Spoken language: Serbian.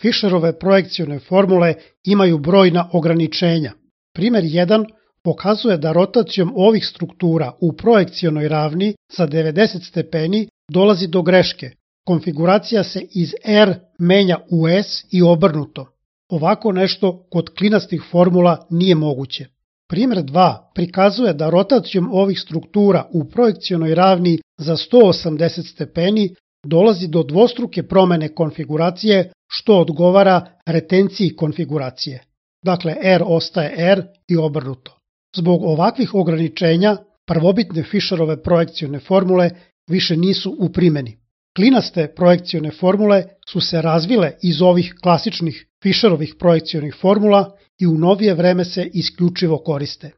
Fisherove projekcione formule imaju brojna ograničenja. Primjer 1 pokazuje da rotacijom ovih struktura u projekcionoj ravni za 90 stepeni dolazi do greške. Konfiguracija se iz R menja u S i obrnuto. Ovako nešto kod klinastih formula nije moguće. Primjer 2 prikazuje da rotacijom ovih struktura u projekcionoj ravni za 180 stepeni dolazi do dvostruke promene konfiguracije što odgovara retenciji konfiguracije. Dakle, R ostaje R i obrnuto. Zbog ovakvih ograničenja, prvobitne Fisherove projekcione formule više nisu u primjeni. Klinaste projekcione formule su se razvile iz ovih klasičnih Fisherovih projekcionih formula i u novije vreme se isključivo koriste.